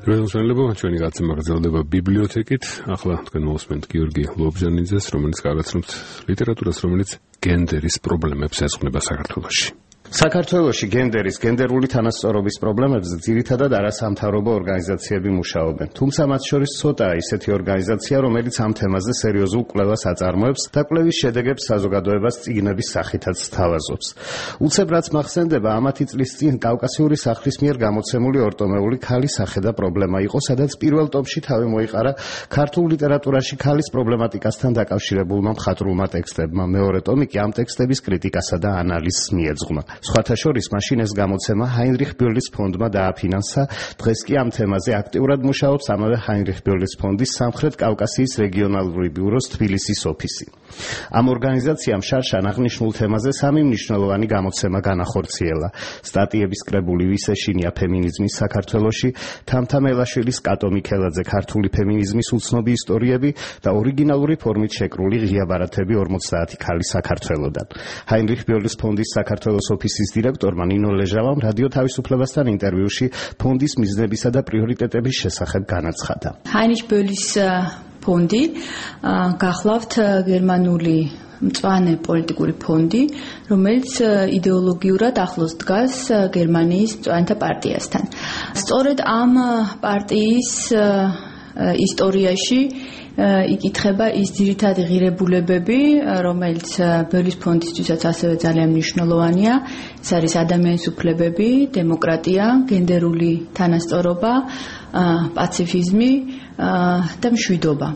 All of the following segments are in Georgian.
მოგესალმება, ჩვენი გაცემა გრძელდება ბიბლიოთეკით. ახლა თქვენ მოვსმენთ გიორგი ლობჟანიძეს, რომელიც გააცნობს ლიტერატურას, რომელიც გენდერის პრობლემებს ეძღვნება საქართველოში. საქართველოში გენდერული თანასწორობის პრობლემებზე ძირითადად არასამთავრობო ორგანიზაციები მუშაობენ. თუმცა მათ შორის ცოტაა ისეთი ორგანიზაცია, რომელიც ამ თემაზე სერიოზულ კვლევას აწარმოებს და კვლევის შედეგებს საზოგადოებას წიგნების სახითაც სთავაზობს. უცებ რაც მახსენდება, ამათი წლის წინ კავკასიური სახლის მიერ გამოცემული ორტომეული ქალის სახე და პრობლემა იყო, სადაც პირველ ტომში თავი მოიყარა ქართულ ლიტერატურაში ქალის პრობლემატიკასთან დაკავშირებულმა მხატვრულმა ტექსტებმა. მეორე ტომი კი ამ ტექსტების კრიტიკასა და ანალიზს მიეძღვნა. სხვათა შორის მაშინ ეს გამოცემა ჰაინრიხ ბიურლის ფონდმა დააფინანსა. დღეს კი ამ თემაზე აქტიურად მუშაობს ამავე ჰაინრიხ ბიურლის ფონდის სამხრეთ კავკასიის რეგიონალური ბიუროს თბილისის ოფისი. ამ ორგანიზაციამ შარშან აღნიშნულ თემაზე 3 მნიშვნელოვანი გამოცემა განახორციელა. სტატიების კრებული ვის ეშინია ფემინიზმის საქართველოში, თამთა მელაშვილის კატო მიქელაძე ქართული ფემინიზმის უცნობი ისტორიები და ორიგინალური ფორმით შეკრული ღია ბარათები 50 ქალი საქართველოდან. ჰაინრიხ ბიურლის ფონდის საქართველოს ოფისის დირექტორმა ნინო ლეჟავამ რადიო თავისუფლებასთან ინტერვიუში ფონდის მიზნებისა და პრიორიტეტების შესახებ განაცხადა. ჰაინრიხ ბიურლის ფონდი გახლავთ გერმანული მწვანე პოლიტიკური ფონდი, რომელიც იდეოლოგიურად ახლოს დგას გერმანიის მწვანეთა პარტიასთან. სწორედ ამ პარტიის ისტორიაში იკითხება ის ძირითადი ღირებულებები, რომელიც ბიურლის ფონდისთვისაც ასევე ძალიან მნიშვნელოვანია. ეს არის ადამიანის უფლებები, დემოკრატია, გენდერული თანასწორობა, პაციფიზმი და მშვიდობა.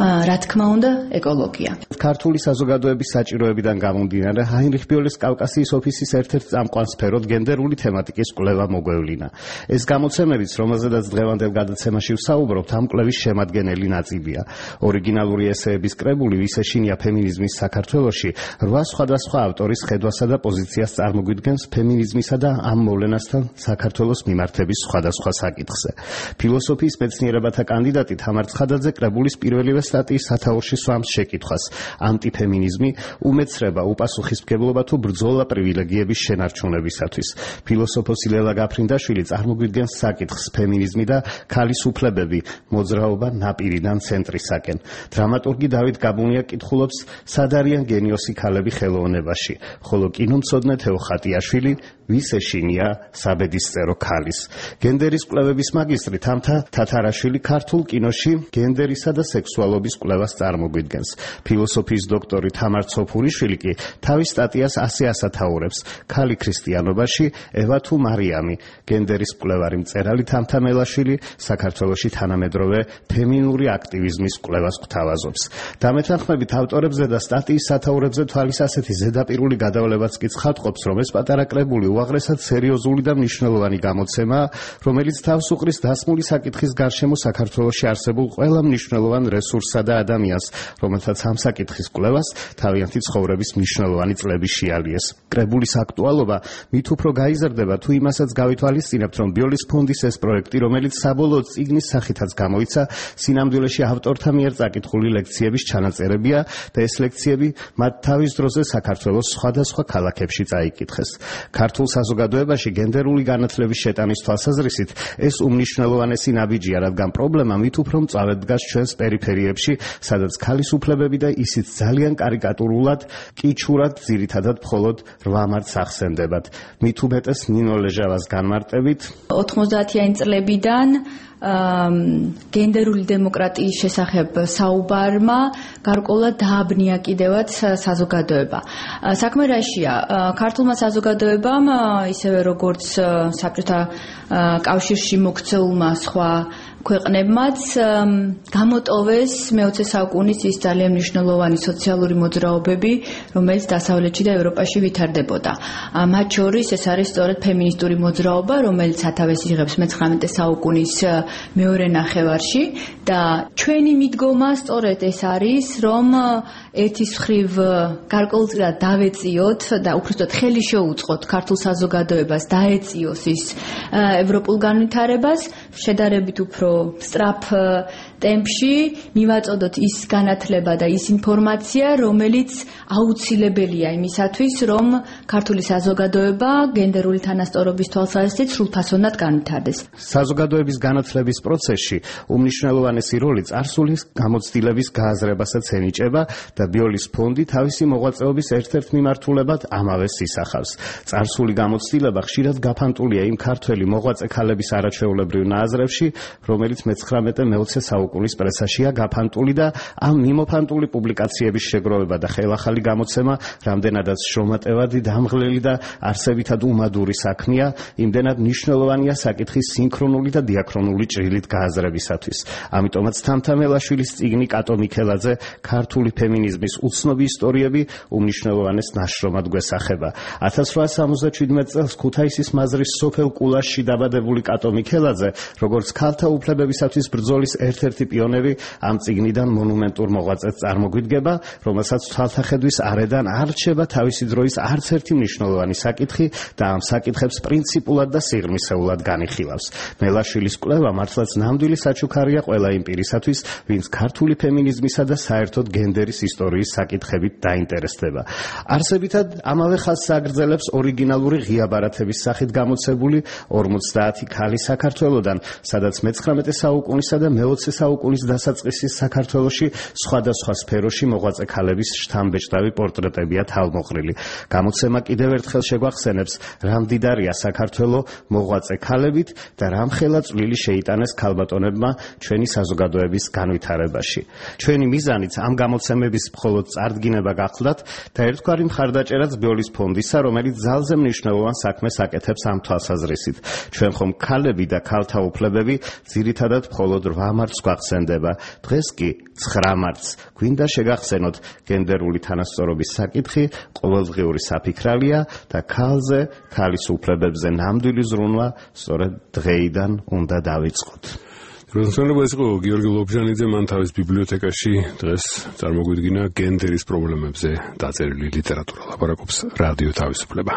რა თქმა უნდა, ეკოლოგია. ქართული საზოგადოების საჭიროებიდან გამომდინარე, ჰაინრიხ ბიურლის კავკასიის ოფისის ერთ-ერთ წამყვან სფეროდ გენდერული თემატიკის კვლევა მოგვევლინა. ეს გამოცემებიც, რომელზედაც დღევანდელ გადაცემაში ვსაუბრობთ, ამ კვლევის შემადგენელი ნაწილია. ორიგინალური ესეების კრებული ვის ეშინია ფემინიზმის საქართველოში 8 სხვადასხვა ავტორის ხედვასა და პოზიციას წარმოგვიდგენს ფემინიზმისა და ამ მოვლენასთან საქართველოს მიმართების სხვადასხვა საკითხზე. ფილოსოფიის მეცნიერებათა კანდიდატი თამარ ცხადაძე კრებულის პირველივე სტატიის სათაურში სვამს შეკითხვას: ანტიფემინიზმი, უმეცრება, უპასუხისმგებლობა თუ ბრძოლა პრივილეგიების შენარჩუნებისათვის. ფილოსოფოსი ლელა გაფრინდაშვილი წარმოგვიდგენს საკითხს: ფემინიზმი და ქალის უფლებები, მოძრაობა ნაპირიდან ცენტრისაკენ. დრამატურგი დავით გაბუნია კითხულობს: სად არიან გენიოსი ქალები ხელოვნებაში, ხოლო კინომცოდნე თეო ხატიაშვილი ვის ეშინია საბედისწერო ქალის. გენდერის კვლევების მაგისტრი თამთა თათარაშვილი ქართულ კინოში გენდერისა და სექსუალობის კვლევას წარმოგვიდგენს. ფილოსოფიის დოქტორი თამარ ცოფურიშვილი კი თავის სტატიას ასე ასათაურებს: ქალი ქრისტიანობაში, ევა თუ მარიამი. გენდერის კვლევარი მწერალი თამთა მელაშვილი საქართველოში თანამედროვე ფემინური აქტივიზმის კვლევას გვთავაზობს. დამეთანხმებით ავტორებზე და სტატიის სათაურებზე თვალის ასეთი ზედაპირული გადავლებაც კი ცხადყოფს, რომ ეს პატარა კრებული უაღრესად სერიოზული და მნიშვნელოვანი გამოცემაა, რომელიც თავს უყრის დასმული საკითხის გარშემო საქართველოში არსებულ ყველა მნიშვნელოვან რესურსსა და ადამიანს, რომელთაც ამ საკითხის კვლევას თავიანთი ცხოვრების მნიშვნელოვანი წლები შეალიეს. კრებულის აქტუალობა მით უფრო გაიზრდება, თუ იმასაც გავითვალისწინებთ, რომ ბიურლის ფონდის ეს პროექტი, რომელიც საბოლოოდ წიგნის სახითაც გამოიცა, სინამდვილეში ავტორთა მიერ წაკითხული ლექციების ჩანაწერებია და ეს ლექციები მათ თავის დროზე საქართველოს სხვადასხვა ქალაქებში წაიკითხეს. ქართულ საზოგადოებაში გენდერული განათლების შეტანის თვალსაზრისით ეს უმნიშვნელოვანესი ნაბიჯია, რადგან პრობლემა მით უფრო მწვავედ დგას ჩვენს პერიფერიებში, სადაც ქალის უფლებები და ისიც ძალიან კარიკატურულად, კიჩურად, ძირითადად მხოლოდ 8 მარტს ახსენდებათ. მით უმეტეს ნინო ლეჟავას განმარტებით 90-იანი წლებიდან გენდერული დემოკრატიის შესახებ საუბარმა გარკვეულად დააბნია კიდევაც საზოგადოება. საქმე რაშია? ქართულმა საზოგადოებამ, ისევე როგორც საბჭოთა კავშირში მოქცეულმა სხვა ქვეყნებმაც გამოტოვეს მე-20 საუკუნის ის ძალიან მნიშვნელოვანი სოციალური მოძრაობები, რომელიც დასავლეთში და ევროპაში ვითარდებოდა. მათ შორის ეს არის სწორედ ფემინისტური მოძრაობა, რომელიც სათავეს იღებს მე-19 საუკუნის მეორე ნახევარში და ჩვენი მიდგომა სწორედ ეს არის, რომ ერთის მხრივ გარკვეულწილად დავეწიოთ და უბრალოდ ხელი შეუწყოთ ქართულ საზოგადოებას დაეწიოს ის ევროპულ განვითარებას, შედარებით უფრო სწრაფ ტემპში მივაწოდოთ ის განათლება და ის ინფორმაცია, რომელიც აუცილებელია იმისათვის, რომ ქართული საზოგადოება გენდერული თანასწორობის თვალსაზრისით სრულფასოვნად განვითარდეს. საზოგადოების განათლება განვითარების პროცესში უმნიშვნელოვანესი როლი წარსული გამოცდილების გააზრებასაც ენიჭება და ბიოლის ფონდი თავისი მოღვაწეობის ერთ-ერთ მიმართულებად ამავეს ისახავს. წარსული გამოცდილება ხშირად გაფანტულია იმ ქართველი მოღვაწე ქალების არაჩვეულებრივ ნააზრებში, რომელიც მე-19 საუკუნის პრესაშია გაფანტული და ამ მიმოფანტული პუბლიკაციების შეგროვება და ხელახალი გამოცემა რამდენადაც შრომატევადი, დამღლელი და არსებითად უმადური საქმეა, იმდენად მნიშვნელოვანია საკითხის სინქრონული და დიაქრონული ჭრილით გააზრებისათვის. ამიტომაც თამთამელაშვილის წიგნი კატო მიქელაძე ქართული ფემინიზმის უცნობი ისტორიები უმნიშვნელოვანეს ნაშრომად გვესახება. 1877 წელს ქუთაისის მაზრის სოფელ კულაშში დაბადებული კატო მიქელაძე, როგორც ქალთა უფლებებისათვის ბრძოლის ერთ-ერთი პიონერი, ამ წიგნიდან მონუმენტურ მოღვაწეს წარმოგვიდგება, რომელსაც თვალთახედვის არედან არ რჩება თავისი დროის არც ერთი მნიშვნელოვანი საკითხი და ამ საკითხებს პრინციპულად და სიღრმისეულად განიხილავს. მელაშვილის კვლევა მართლაც ნამდვილი საჩუქარია ყველა იმ პირისათვის, ვინც ქართული ფემინიზმისა და საერთოდ გენდერის ისტორიის საკითხებით დაინტერესდება. არსებითად ამავე ხაზს აგრძელებს ორიგინალური ღია ბარათების სახით გამოცებული 50 ქალი საქართველოდან, სადაც მე-19 საუკუნისა და მე-20 საუკუნის დასაწყისის საქართველოში სხვადასხვა სფეროში მოღვაწე ქალების შთამბეჭდავი პორტრეტებია თავმოყრილი. გამოცემა კიდევ ერთხელ შეგვახსენებს, რა მდიდარია საქართველო მოღვაწე ქალებით და რამხელა წვლილი შეიტანეს ქალბატონებმა ჩვენი საზოგადოების განვითარებაში. ჩვენი მიზანიც ამ გამოცემების მხოლოდ წარდგინება გახლდათ და ერთგვარი მხარდაჭერაც ბიოლის ფონდისა, რომელიც ძალზე მნიშვნელოვან საქმეს აკეთებს ამ თვალსაზრისით. ჩვენ ხომ ქალები და ქალთა უფლებები ძირითადად მხოლოდ 8 მარტს გვახსენდება. დღეს კი 9 მარტს. გვინდა შეგახსენოთ, გენდერული თანასწორობის საკითხი ყოველდღიური საფიქრალია და ქალზე, ქალის უფლებებზე ნამდვილი ზრუნვა სწორედ დღეიდან უნდა დავიწყოთ. როდესაც ეს იყო გიორგი ლობჟანიძე, მან თავის ბიბლიოთეკაში დღეს წარმოგვიდგინა გენდერის პრობლემებზე დაწერილი ლიტერატურა. ლაპარაკობს რადიო თავისუფლება.